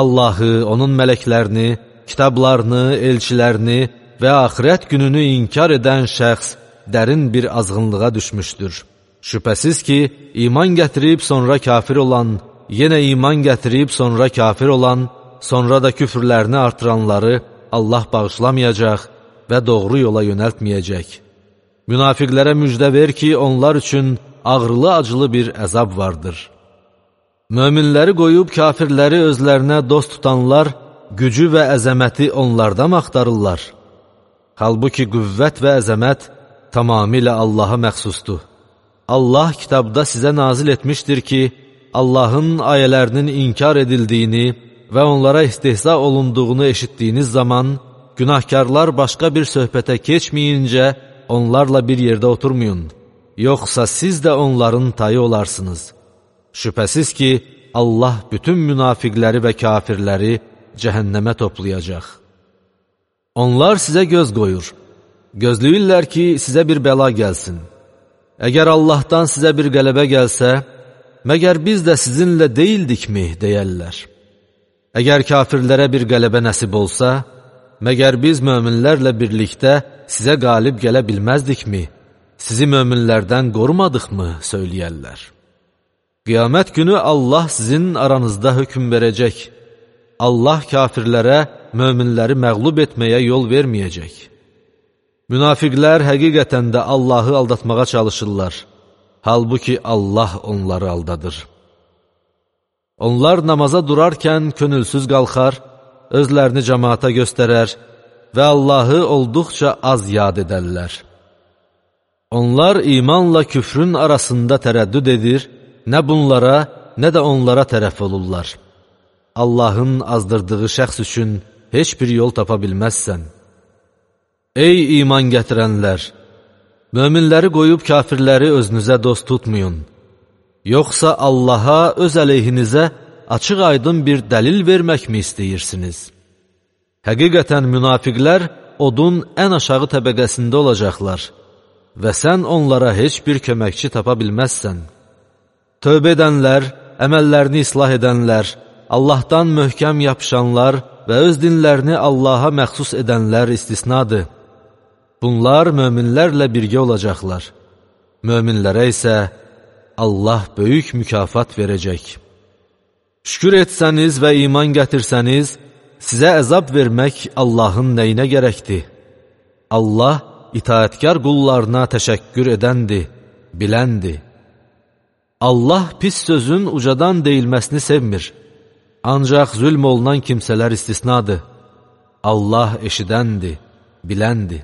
Allahı, onun mələklərini, kitablarını, elçilərini və axirət gününü inkar edən şəxs dərin bir azğınlığa düşmüşdür. Şübhəsiz ki, iman gətirib sonra kafir olan, yenə iman gətirib sonra kafir olan, sonra da küfrlərini artıranları Allah bağışlamayacaq və doğru yola yönəltməyəcək. Münafiqlərə müjdə ver ki, onlar üçün ağrılı-acılı bir əzab vardır. Möminləri qoyub kafirləri özlərinə dost tutanlar, gücü və əzəməti onlarda mı axtarırlar? Halbuki qüvvət və əzəmət tamamilə Allaha məxsusdur. Allah kitabda sizə nazil etmişdir ki, Allahın ayələrinin inkar edildiyini və onlara istehza olunduğunu eşitdiyiniz zaman, günahkarlar başqa bir söhbətə keçməyincə onlarla bir yerdə oturmayın. Yoxsa siz də onların tayı olarsınız. Şübhəsiz ki, Allah bütün münafiqləri və kafirləri cəhənnəmə toplayacaq. Onlar sizə göz qoyur. Gözləyirlər ki, sizə bir bəla gəlsin. Əgər Allahdan sizə bir qələbə gəlsə, məgər biz də sizinlə deyildikmi, deyərlər. Əgər kafirlərə bir qələbə nəsib olsa, məgər biz möminlərlə birlikdə sizə qalib gələ bilməzdikmi, sizi möminlərdən qorumadıqmı, söyləyərlər. Qiyamət günü Allah sizin aranızda hökm verəcək. Allah kafirlərə, möminləri məğlub etməyə yol verməyəcək. Münafiqlər həqiqətən də Allahı aldatmağa çalışırlar. Halbuki Allah onları aldadır. Onlar namaza durarkən könülsüz qalxar, özlərini cəmaata göstərər və Allahı olduqca az yad edərlər. Onlar imanla küfrün arasında tərəddüd edir, nə bunlara, nə də onlara tərəf olurlar. Allahın azdırdığı şəxs üçün heç bir yol tapa bilməzsən. Ey iman gətirənlər! Möminləri qoyub kafirləri özünüzə dost tutmayın. Yoxsa Allaha öz əleyhinizə açıq-aydın bir dəlil verməkmi istəyirsiniz? Həqiqətən münafiqlər odun ən aşağı təbəqəsində olacaqlar və sən onlara heç bir köməkçi tapa bilməzsən. Tövbə edənlər, əməllərini islah edənlər, Allahdan möhkəm yapışanlar və öz dinlərini Allaha məxsus edənlər istisnadır. Bunlar möminlərlə birgə olacaqlar. Möminlərə isə Allah böyük mükafat verəcək. Şükür etsəniz və iman gətirsəniz, sizə əzab vermək Allahın nəyinə gərəkdir? Allah itaətkar qullarına təşəkkür edəndir, biləndir. Allah pis sözün ucadan deyilməsini sevmir. Ancaq zülm olunan kimsələr istisnadır. Allah eşidəndir, biləndir.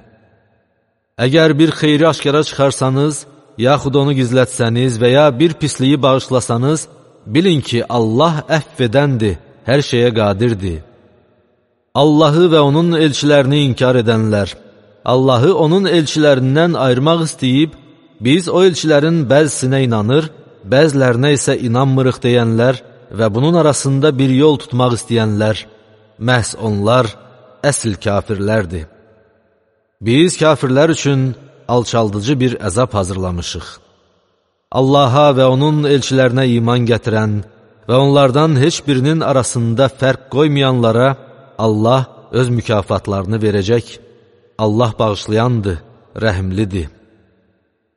Əgər bir xeyri aşkara çıxarsanız, yaxud onu gizlətsəniz və ya bir pisliyi bağışlasanız, bilin ki, Allah əfv edəndir, hər şeyə qadirdir. Allahı və onun elçilərini inkar edənlər, Allahı onun elçilərindən ayırmaq istəyib, biz o elçilərin bəzisinə inanır, bəzilərinə isə inanmırıq deyənlər və bunun arasında bir yol tutmaq istəyənlər, məhz onlar əsl kafirlərdir. Biz kafirlər üçün alçaldıcı bir əzab hazırlamışıq. Allaha və onun elçilərinə iman gətirən və onlardan heç birinin arasında fərq qoymayanlara Allah öz mükafatlarını verəcək. Allah bağışlayandır, rəhimlidir.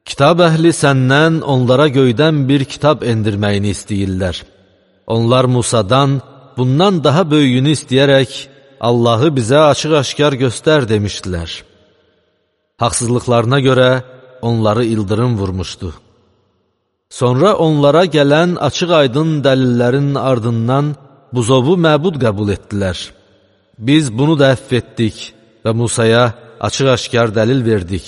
Kitab əhli səndən onlara göydən bir kitab endirməyini istəyirlər. Onlar Musadan bundan daha böyüyünü istəyərək Allahı bizə açıq-aşkar göstər demişdilər. Haqsızlıqlarına görə onları ildırım vurmuşdu. Sonra onlara gələn açıq-aydın dəlillərin ardından buzovu məbud qəbul etdilər. Biz bunu da əfv etdik və Musaya açıq-aşkar dəlil verdik.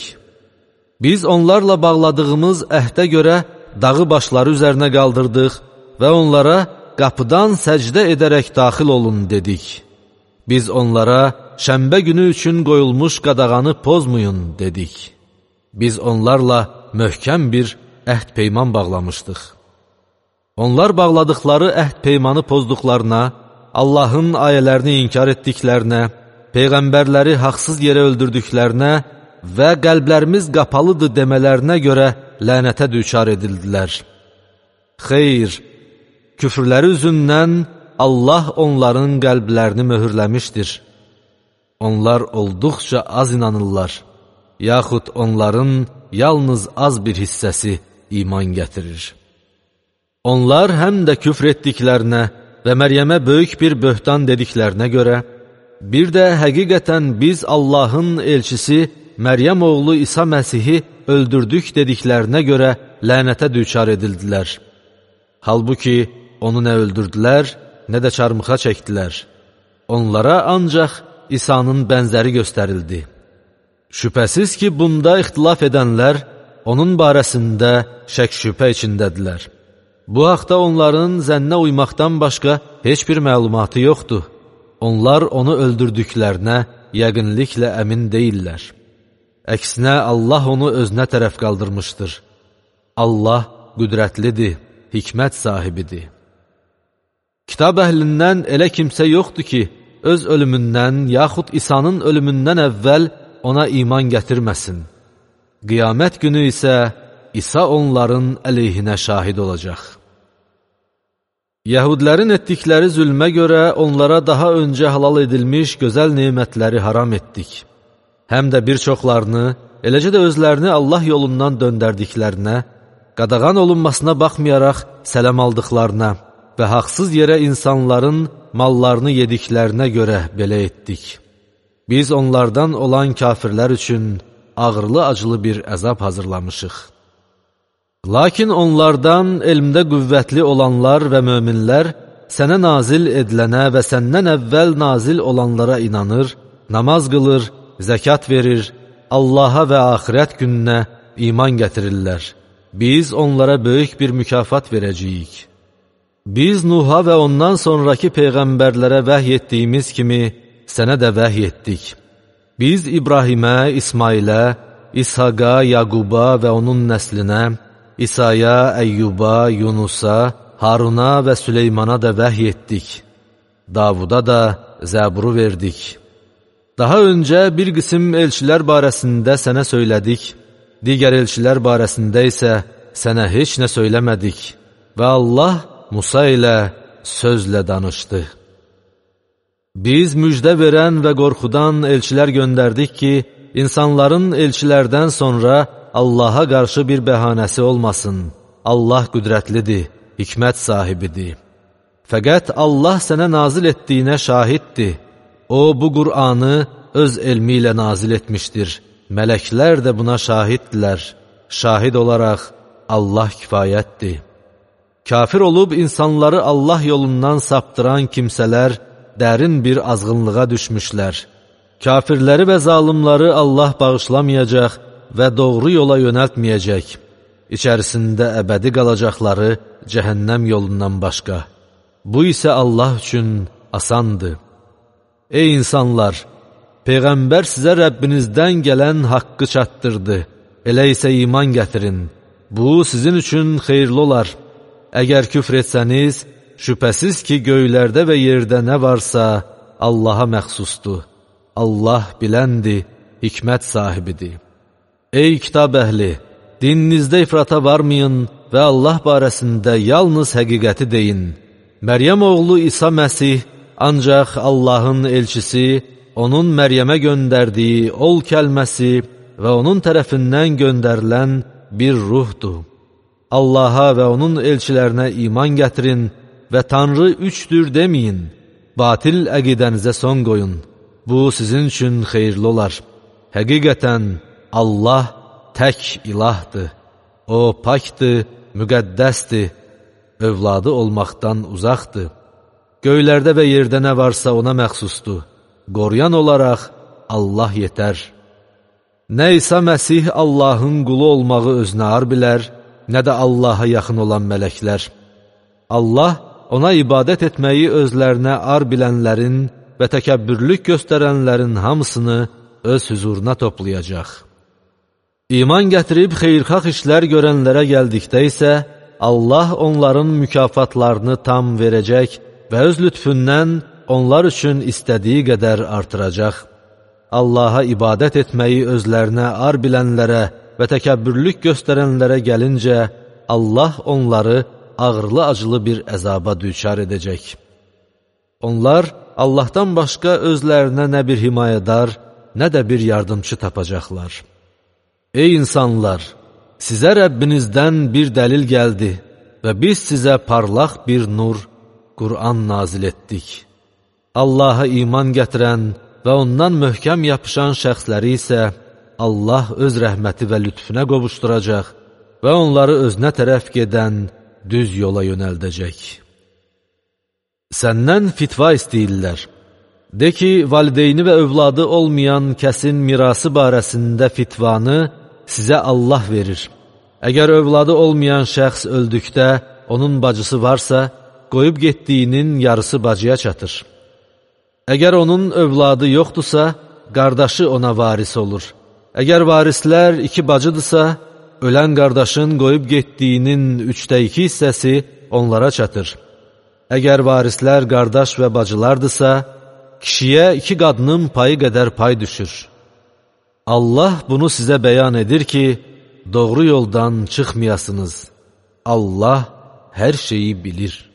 Biz onlarla bağladığımız əhdə görə dağı başları üzərinə qaldırdıq və onlara qapıdan səcdə edərək daxil olun dedik. Biz onlara şənbə günü üçün qoyulmuş qadağanı pozmayın dedik. Biz onlarla möhkəm bir əhd-peyman bağlamışdıq. Onlar bağladıkları əhd-peymanı pozduqlarına, Allahın ayələrini inkar etdiklərinə, peyğəmbərləri haqsız yerə öldürdüklərinə və qəlblərimiz qapalıdır demələrinə görə lənətə düçar edildilər. Xeyr, küfrləri üzündən Allah onların qəlblərini möhürləmişdir. Onlar olduqca az inanırlar, yaxud onların yalnız az bir hissəsi iman gətirir. Onlar həm də küfr etdiklərinə və Məryəmə böyük bir böhtan dediklərinə görə, bir də həqiqətən biz Allahın elçisi Məryəm oğlu İsa Məsihi öldürdük dediklərinə görə lənətə düçar edildilər. Halbuki onu nə öldürdülər, nə də çarmıxa çəkdilər. Onlara ancaq İsa'nın bənzəri göstərildi. Şübhəsiz ki, bunda ixtilaf edənlər onun barəsində şək-şübhə içindədirlər. Bu haqda onların zənnə uymaqdan başqa heç bir məlumatı yoxdur. Onlar onu öldürdüklərinə yəqinliklə əmin deyirlər. Əksinə, Allah onu özünə tərəf qaldırmışdır. Allah qüdrətlidir, hikmət sahibidir. Kitab əhlindən elə kimsə yoxdur ki, öz ölümündən yaxud İsa'nın ölümündən əvvəl ona iman gətirməsin. Qiyamət günü isə İsa onların əleyhinə şahid olacaq. Yəhudilərin etdikləri zülmə görə onlara daha öncə halal edilmiş gözəl nemətləri haram etdik. Həm də bir çoxlarını, eləcə də özlərini Allah yolundan döndərdiklərinə, qadağan olunmasına baxmayaraq sələm aldıqlarına və haqsız yerə insanların mallarını yediklərinə görə belə etdik. Biz onlardan olan kafirlər üçün ağırlı-acılı bir əzab hazırlamışıq. Lakin onlardan elmdə qüvvətli olanlar və möminlər sənə nazil edilənə və səndən əvvəl nazil olanlara inanır, namaz qılır, zəkat verir, Allaha və axirət gününə iman gətirirlər. Biz onlara böyük bir mükafat verəcəyik. Biz Nuh'a və ondan sonraki peyğəmbərlərə vəhy etdiyimiz kimi sənə də vəhy etdik. Biz İbrahimə, İsmailə, İshaqa, Yaquba və onun nəslinə, İsa'ya, Əyyuba, Yunusa, Haruna və Süleymana da vəhy etdik. Davuda da Zəburu verdik. Daha öncə bir qism elçilər barəsində sənə söylədik, digər elçilər barəsində isə sənə heç nə söyləmədik və Allah Musa ilə sözlə danışdı. Biz müjdə verən və qorxudan elçilər göndərdik ki, insanların elçilərdən sonra Allaha qarşı bir bəhanəsi olmasın. Allah qüdrətlidir, hikmət sahibidir. Fəqət Allah sənə nazil etdiyinə şahiddir. O, bu Qur'anı öz elmi ilə nazil etmişdir. Mələklər də buna şahiddirlər. Şahid olaraq Allah kifayətdir. Kafir olub insanları Allah yolundan saptıran kimsələr dərin bir azğınlığa düşmüşlər. Kafirləri və zalimləri Allah bağışlamayacaq və doğru yola yönəltməyəcək. İçərisində əbədi qalacaqları cəhənnəm yolundan başqa. Bu isə Allah üçün asandır. Ey insanlar! Peyğəmbər sizə Rəbbinizdən gələn haqqı çatdırdı. Elə isə iman gətirin. Bu, sizin üçün xeyirli olar. Əgər küfr etsəniz, şübhəsiz ki, göylərdə və yerdə nə varsa Allaha məxsusdur. Allah biləndir, hikmət sahibidir. Ey kitab əhli! Dininizdə ifrata varmayın və Allah barəsində yalnız həqiqəti deyin. Məryəm oğlu İsa Məsih ancaq Allahın elçisi, onun Məryəmə göndərdiyi ol kəlməsi və onun tərəfindən göndərilən bir ruhdur. Allaha və onun elçilərinə iman gətirin və Tanrı üçdür deməyin. Batil əqidənizə son qoyun. Bu, sizin üçün xeyirli olar. Həqiqətən Allah tək ilahdır. O, pakdır, müqəddəsdir, övladı olmaqdan uzaqdır. Göylərdə və yerdə nə varsa ona məxsusdur. Qoruyan olaraq Allah yetər. Nə İsa Məsih Allahın qulu olmağı özünə ar bilər, nə də Allaha yaxın olan mələklər. Allah ona ibadət etməyi özlərinə ar bilənlərin və təkəbbürlük göstərənlərin hamısını öz huzuruna toplayacaq. İman gətirib xeyirxah işlər görənlərə gəldikdə isə, Allah onların mükafatlarını tam verəcək və öz lütfündən onlar üçün istədiyi qədər artıracaq. Allaha ibadət etməyi özlərinə ar bilənlərə və təkəbbürlük göstərənlərə gəlincə, Allah onları ağırlı-acılı bir əzaba düçar edəcək. Onlar Allahdan başqa özlərinə nə bir himayədar, nə də bir yardımçı tapacaqlar. Ey insanlar! Sizə Rəbbinizdən bir dəlil gəldi və biz sizə parlaq bir nur, Qur'an nazil etdik. Allaha iman gətirən və ondan möhkəm yapışan şəxsləri isə Allah öz rəhməti və lütfüne qovuşturacaq və onları özünə tərəf gedən düz yola yönəldəcək. Səndən fitva istəyirlər. De ki, valideyni və övladı olmayan kəsin mirası barəsində fitvanı sizə Allah verir. Əgər övladı olmayan şəxs öldükdə onun bacısı varsa, qoyub getdiyinin yarısı bacıya çatır. Əgər onun övladı yoxdursa, qardaşı ona varis olur. Əgər varislər iki bacıdırsa, ölən qardaşın qoyub getdiyinin 2/3 hissəsi onlara çatır. Əgər varislər qardaş və bacılardırsa, kişiyə 2 qadının payı qədər pay düşür. Allah bunu sizə bəyan edir ki, doğru yoldan çıxmayasınız. Allah hər şeyi bilir.